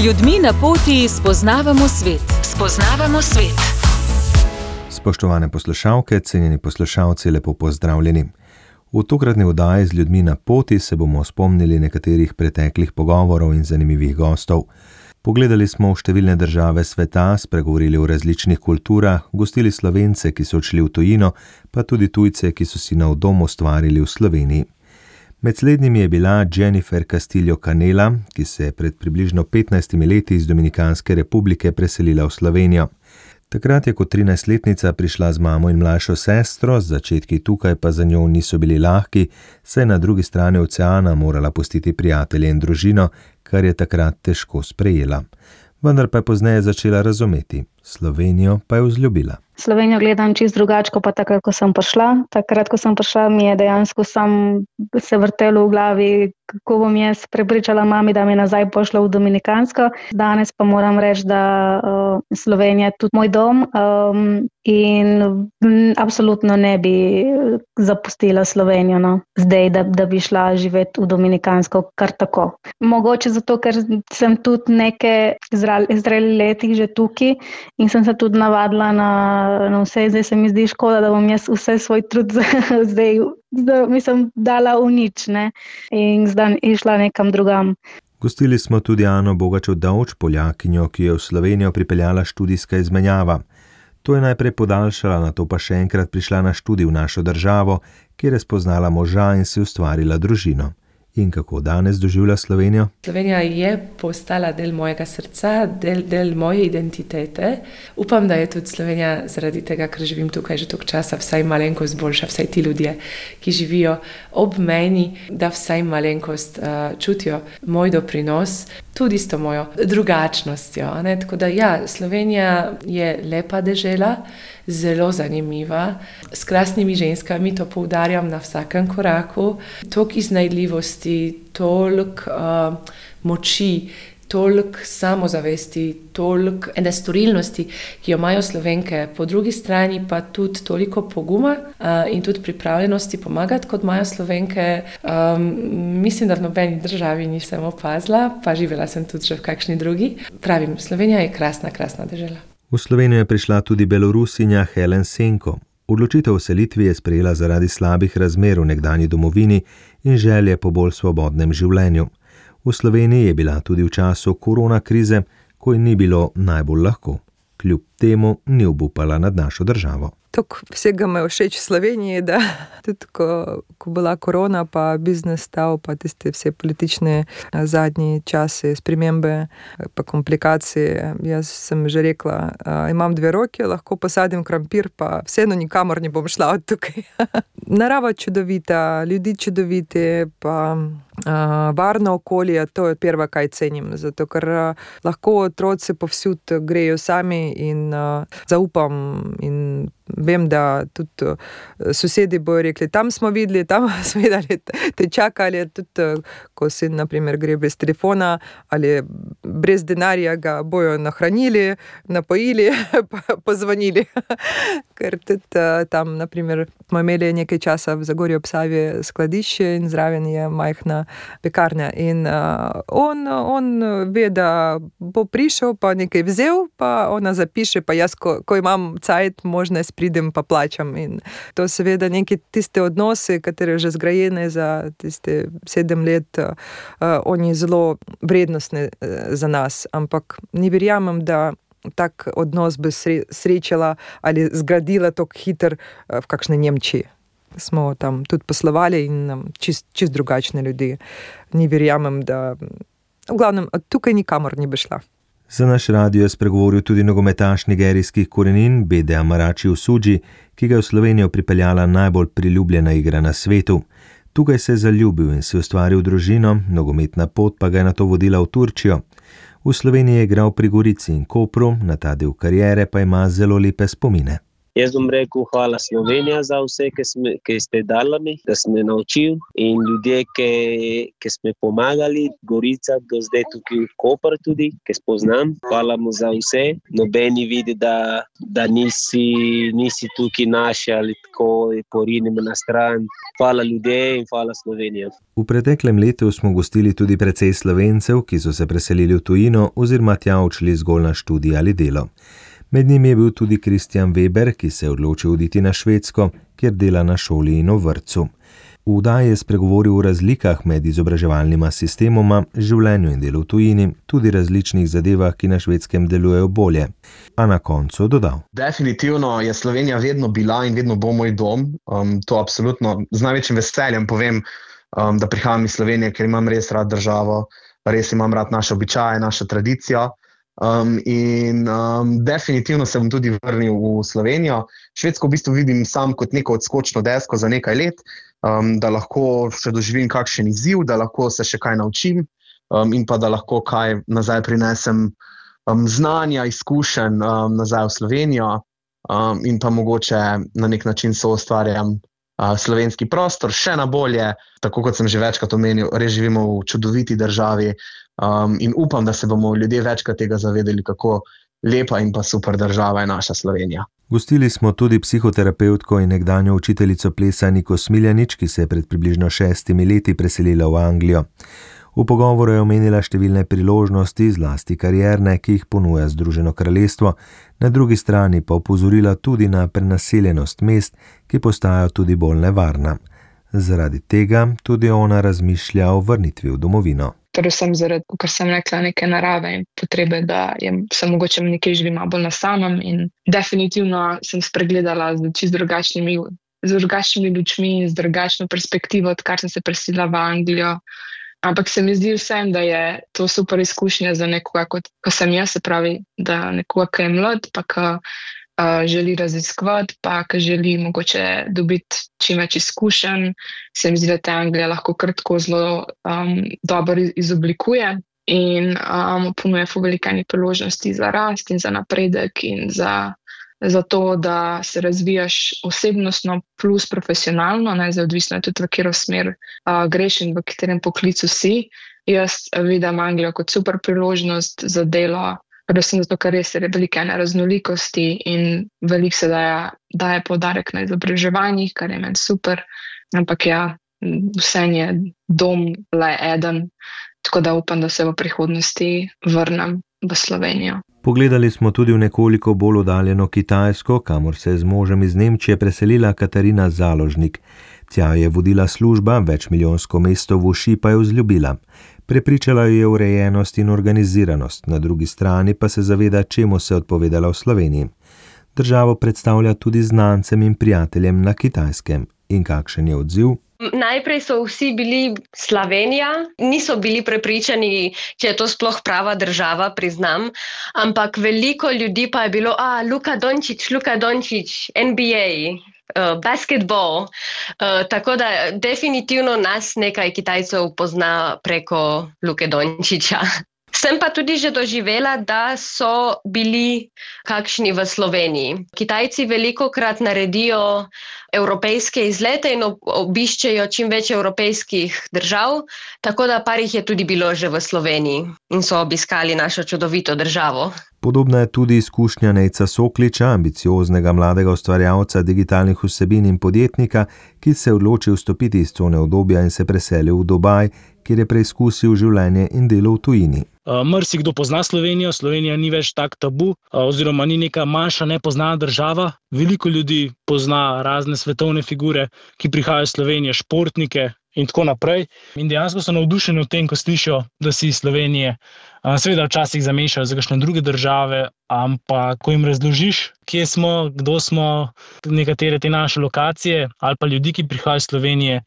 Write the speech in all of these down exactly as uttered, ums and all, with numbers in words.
ljudmi na poti spoznavamo svet. Spoznavamo svet. Spoštovane poslušalke, cenjeni poslušalci, lepo pozdravljeni. V tokratni oddaji z ljudmi na poti se bomo spomnili nekaterih preteklih pogovorov in zanimivih gostov. Pogledali smo v številne države sveta, spregovorili o različnih kulturah, gostili Slovence, ki so odšli v tujino, pa tudi tujce, ki so si nov dom ustvarili v Sloveniji. Med slednjimi je bila Jennifer Castillo Canela, ki se je pred približno petnajstimi leti iz Dominikanske republike preselila v Slovenijo. Takrat je kot trinajstletnica prišla z mamo in mlajšo sestro, začetki tukaj pa za njo niso bili lahki, saj je na drugi strani oceana morala pustiti prijatelje in družino, kar je takrat težko sprejela. Vendar pa je pozneje začela razumeti, Slovenijo pa je vzljubila. Slovenijo gledam čisto drugače, kot pa takrat, ko sem prišla. Takrat, ko sem prišla, mi je dejansko sam se vrtelo v glavi, kako bom jaz prepričala mami, da me nazaj pošla v Dominikansko. Danes pa moram reči, da uh, Slovenija je tudi moj dom um, in m, absolutno ne bi zapustila Slovenijo, no. Zdaj, da, da bi šla živeti v Dominikansko kar tako. Mogoče zato, ker sem tudi neke zreli letih že tukaj in sem se tudi navadila na na vse, zdaj se mi zdi škoda, da bom jaz vse svoj trud zdaj, da mislim, dala v nič, ne, in zdaj išla nekam drugam. Gostili smo tudi Ano Bogačev-Dovč, Poljakinjo, ki je v Slovenijo pripeljala študijska izmenjava. To je najprej podaljšala, nato pa še enkrat prišla na študij v našo državo, kjer je spoznala moža in si ustvarila družino. In kako danes doživlja Slovenijo? Slovenija je postala del mojega srca, del, del moje identitete. Upam, da je tudi Slovenija zaradi tega, ker živim tukaj že toliko časa, vsaj malenkost boljša, vsaj ti ljudje, ki živijo ob meni, da vsaj malenkost uh, čutijo moj doprinos, tudi s to mojo drugačnostjo. Ne? Tako da ja, Slovenija je lepa dežela, zelo zanimiva, s krasnimi ženskami, to poudarjam na vsakem koraku, toliko iznajdljivosti, toliko uh, moči, toliko samozavesti, toliko ene storilnosti, ki jo imajo Slovenke, po drugi strani pa tudi toliko poguma uh, in tudi pripravljenosti pomagati, kot imajo Slovenke. Um, mislim, da v nobeni državi nisem opazila, pa živela sem tudi že v kakšni drugi. Pravim, Slovenija je krasna, krasna dežela. V Slovenijo je prišla tudi Belorusinja Helen Senko. Odločitev o selitvi je sprejela zaradi slabih razmer v nekdanji domovini in želje po bolj svobodnem življenju. V Sloveniji je bila tudi v času korona krize, ko ji ni bilo najbolj lahko. Kljub temu ni obupala nad našo državo. Tok vsega me všeč v Sloveniji, da tudi ko, ko bila korona, pa biznes stav, pa tiste vse politične zadnji časi, spremembe, pa komplikacije. Jaz sem že rekla, imam dve roki, lahko posadim krompir, pa vseeno nikamor ne bom šla od tukaj. Narava čudovita, ljudi čudoviti, pa Uh, varno okolje, to je prva, kaj cenim, zato ker uh, lahko otroci povsod grejo sami in uh, zaupam in vem, da tudi uh, sosedi bojo rekli, tam smo videli, tam smo videli, te čakali, tudi uh, ko sin, na primer, gre brez telefona ali brez denarja, ga bojo nahranili, napojili, pozvonili. Ker tudi uh, tam, na primer, smo imeli nekaj časa v Zagorju ob Savi skladišče in zraven je majhna pekarna in uh, on, on ve, da bo prišel, pa nekaj vzel, pa ona zapiše, pa jaz, ko, ko imam cajt, možnost pridem pa plačam. In to seveda neke tiste odnose, katere že zgrajene za tiste sedem let, uh, oni zelo vrednostne uh, za nas, ampak ne verjamem, da tak odnos bi srečala ali zgradila tako hiter uh, v kakšne Nemčiji. Smo tam tudi poslovali in čist, čist drugačne ljudi. Ni verjamem, da v glavnem tukaj nikamor ni bi šla. Za naš radio je spregovoril tudi nogometaš nigerijskih korenin Bede Amarachi Osuji, ki ga je v Slovenijo pripeljala najbolj priljubljena igra na svetu. Tukaj se je zaljubil in si ustvaril družino, nogometna pot pa ga je nato vodila v Turčijo. V Sloveniji je igral pri Gorici in Kopru, na ta del kariere pa ima zelo lepe spomine. Jaz bom rekel hvala Slovenija za vse, ki, sme, ki ste dali mi, da sme naučil in ljudje, ki, ki sme pomagali, Gorica do zdaj tukaj v Koper tudi, ki spoznam. Hvala mu za vse. Nobeni vidi, da, da nisi, nisi tukaj naši ali tako porinimo na stran. Hvala ljudje in hvala Slovenija. V preteklem letu smo gostili tudi precej Slovencev, ki so se preselili v tujino oziroma tja odšli zgolj na študij ali delo. Med njimi je bil tudi Kristjan Weber, ki se je odločil oditi na Švedsko, kjer dela na šoli in v vrtcu. V vdaji je spregovoril o razlikah med izobraževalnima sistemoma, življenju in delu v tujini, tudi različnih zadevah, ki na Švedskem delujejo bolje. A na koncu dodal. Definitivno je Slovenija vedno bila in vedno bo moj dom. Um, to absolutno z največjim veseljem povem, um, da prihajam iz Slovenije, ker imam res rad državo, res imam rad naše običaje, našo tradicijo. Um, in um, definitivno se bom tudi vrnil v Slovenijo. Švedsko v bistvu vidim sam kot neko odskočno desko za nekaj let, um, da lahko še doživim kakšen izziv, da lahko se še kaj naučim um, in pa da lahko kaj nazaj prinesem um, znanja, izkušenj um, nazaj v Slovenijo um, in pa mogoče na nek način soustvarjam uh, slovenski prostor še na bolje. Tako kot sem že večkrat omenil, res živimo v čudoviti državi. Um, in upam, da se bomo ljudje večkrat tega zavedali, kako lepa in pa super država je naša Slovenija. Gostili smo tudi psihoterapevtko in nekdanjo učiteljico plesa Niko Smiljanič, ki se je pred približno šestimi leti preselila v Anglijo. V pogovoru je omenila številne priložnosti, zlasti karierne, ki jih ponuja Združeno kraljestvo, na drugi strani pa opozorila tudi na prenaseljenost mest, ki postajajo tudi bolj nevarna. Zaradi tega tudi ona razmišlja o vrnitvi v domovino. Predvsem zaradi, ker sem rekla, neke narave in potrebe, da je, sem mogoče nekje živim bolj na samem in definitivno sem spregledala z čisto drugačnimi, z drugačnimi lučmi in z drugačno perspektivo, odkar sem se preselila v Anglijo. Ampak se mi zdi vsem, da je to super izkušnja za nekoga, kot ko sem jaz, se pravi, da nekoga, ki je mlad, pa ki Uh, želi raziskovati, pa ki želi mogoče dobiti čim več izkušenj. Se mi zdi, da te Anglija lahko kratko zelo um, dobro izoblikuje in um, ponuja velike priložnosti za rast in za napredek in za, za to, da se razvijaš osebnostno plus profesionalno, ne, zdaj odvisno je tudi v katero smer uh, greš in v katerem poklicu si. Jaz vidim Anglijo kot super priložnost za delo, predvsem zato, ker res je velike raznolikosti in veliko se daje, daje poudarek na izobraževanjih, kar je meni super, ampak ja, vse je dom le eden, tako da upam, da se v prihodnosti vrnem v Slovenijo. Pogledali smo tudi v nekoliko bolj oddaljeno Kitajsko, kamor se je z možem iz Nemčije preselila Katarina Založnik. Tja je vodila služba, večmilijonsko mesto v Uši pa je vzljubila. Prepričala jo je urejenost in organiziranost, na drugi strani pa se zaveda, čemu se je odpovedala v Sloveniji. Državo predstavlja tudi znancem in prijateljem na Kitajskem. In kakšen je odziv? Najprej so vsi bili Slovenija, niso bili prepričani, če je to sploh prava država, priznam, ampak veliko ljudi pa je bilo, a, Luka Dončić, Luka Dončić, N B A, uh, basketball, uh, tako da definitivno nas nekaj Kitajcev pozna preko Luke Dončića. Sem pa tudi že doživela, da so bili kakšni v Sloveniji. Kitajci velikokrat naredijo evropejske izlete in obiščejo čim več evropejskih držav, tako da par jih je tudi bilo že v Sloveniji in so obiskali našo čudovito državo. Podobna je tudi izkušnja Nejca Sokliča, ambicioznega mladega ustvarjalca digitalnih vsebin in podjetnika, ki se je odločil vstopiti iz cone udobja in se preselil v Dubaj, kjer je preizkusil življenje in delo v tujini. Marsikdo pozna Slovenijo, Slovenija ni več tak tabu, oziroma ni neka manjša nepoznana država. Veliko ljudi pozna razne svetovne figure, ki prihajajo iz Slovenije, športnike in tako naprej. In dejansko so navdušeni v tem, ko slišijo, da si iz Slovenije. Seveda včasih zamešajo za kakšne druge države, ampak ko jim razložiš, kje smo, kdo smo, nekatere te naše lokacije ali pa ljudi, ki prihajajo iz Slovenije,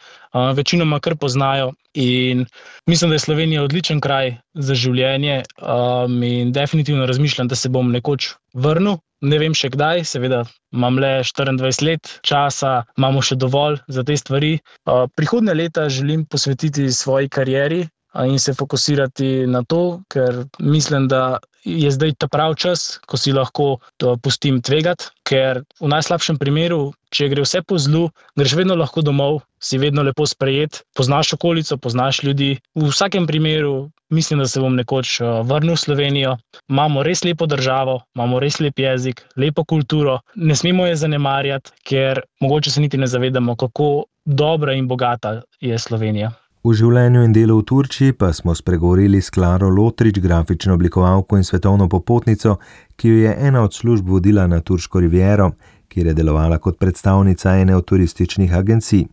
večinoma kar poznajo. In mislim, da je Slovenija odličen kraj za življenje um, in definitivno razmišljam, da se bom nekoč vrnil. Ne vem še kdaj, seveda imam le štiriindvajset let časa, imamo še dovolj za te stvari. Uh, prihodnje leta želim posvetiti svoji karieri in se fokusirati na to, ker mislim, da je zdaj ta prav čas, ko si lahko to pustim tvegati, ker v najslabšem primeru, če gre vse po zlu, greš vedno lahko domov, si vedno lepo sprejet, poznaš okolico, poznaš ljudi. V vsakem primeru mislim, da se bom nekoč vrnil v Slovenijo. Imamo res lepo državo, imamo res lep jezik, lepo kulturo, ne smemo je zanemarjati, ker mogoče se niti ne zavedamo, kako dobra in bogata je Slovenija. V življenju in delu v Turčiji pa smo spregovorili s Klaro Lotrič, grafično oblikovalko in svetovno popotnico, ki jo je ena od služb vodila na turško riviero, kjer je delovala kot predstavnica ene od turističnih agencij.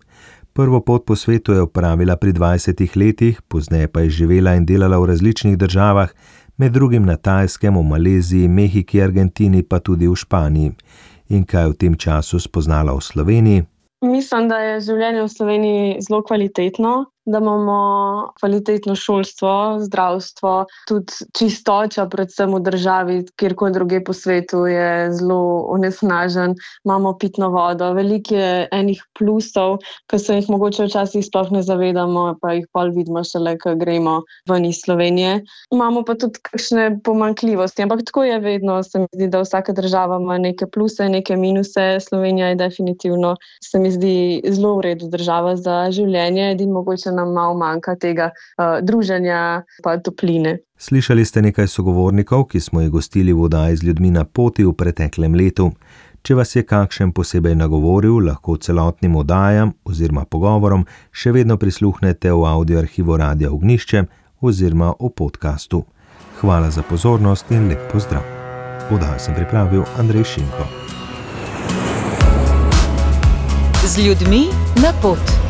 Prvo pot po svetu je opravila pri dvajsetih letih, pozneje pa je živela in delala v različnih državah, med drugim na Tajskem, v Maleziji, Mehiki, Argentini pa tudi v Španiji. In kaj v tem času spoznala v Sloveniji? Mislim, da je življenje v Sloveniji zelo kvalitetno, da imamo kvalitetno šolstvo, zdravstvo, tudi čistoča, predvsem v državi, kjerkoli druge po svetu je zelo onesnažen, imamo pitno vodo, veliko je enih plusov, ki se jih mogoče včasih sploh ne zavedamo, pa jih pol vidimo šele, ko gremo ven iz Slovenije. Imamo pa tudi kakšne pomanjkljivosti, ampak tako je vedno, se mi zdi, da vsaka država ima neke pluse, neke minuse. Slovenija je definitivno, se mi zdi, zelo v redu država za življenje, edin mogoče nam malo manjka tega uh, druženja pa topline. Slišali ste nekaj sogovornikov, ki smo jih gostili v oddaji z ljudmi na poti v preteklem letu. Če vas je kakšen posebej nagovoril, lahko celotnim oddajam oziroma pogovorom še vedno prisluhnete v audio arhivu Radia Ognjišče oziroma v podcastu. Hvala za pozornost in lep pozdrav. Oddajo sem pripravil Andrej Šinko. Z ljudmi na pot.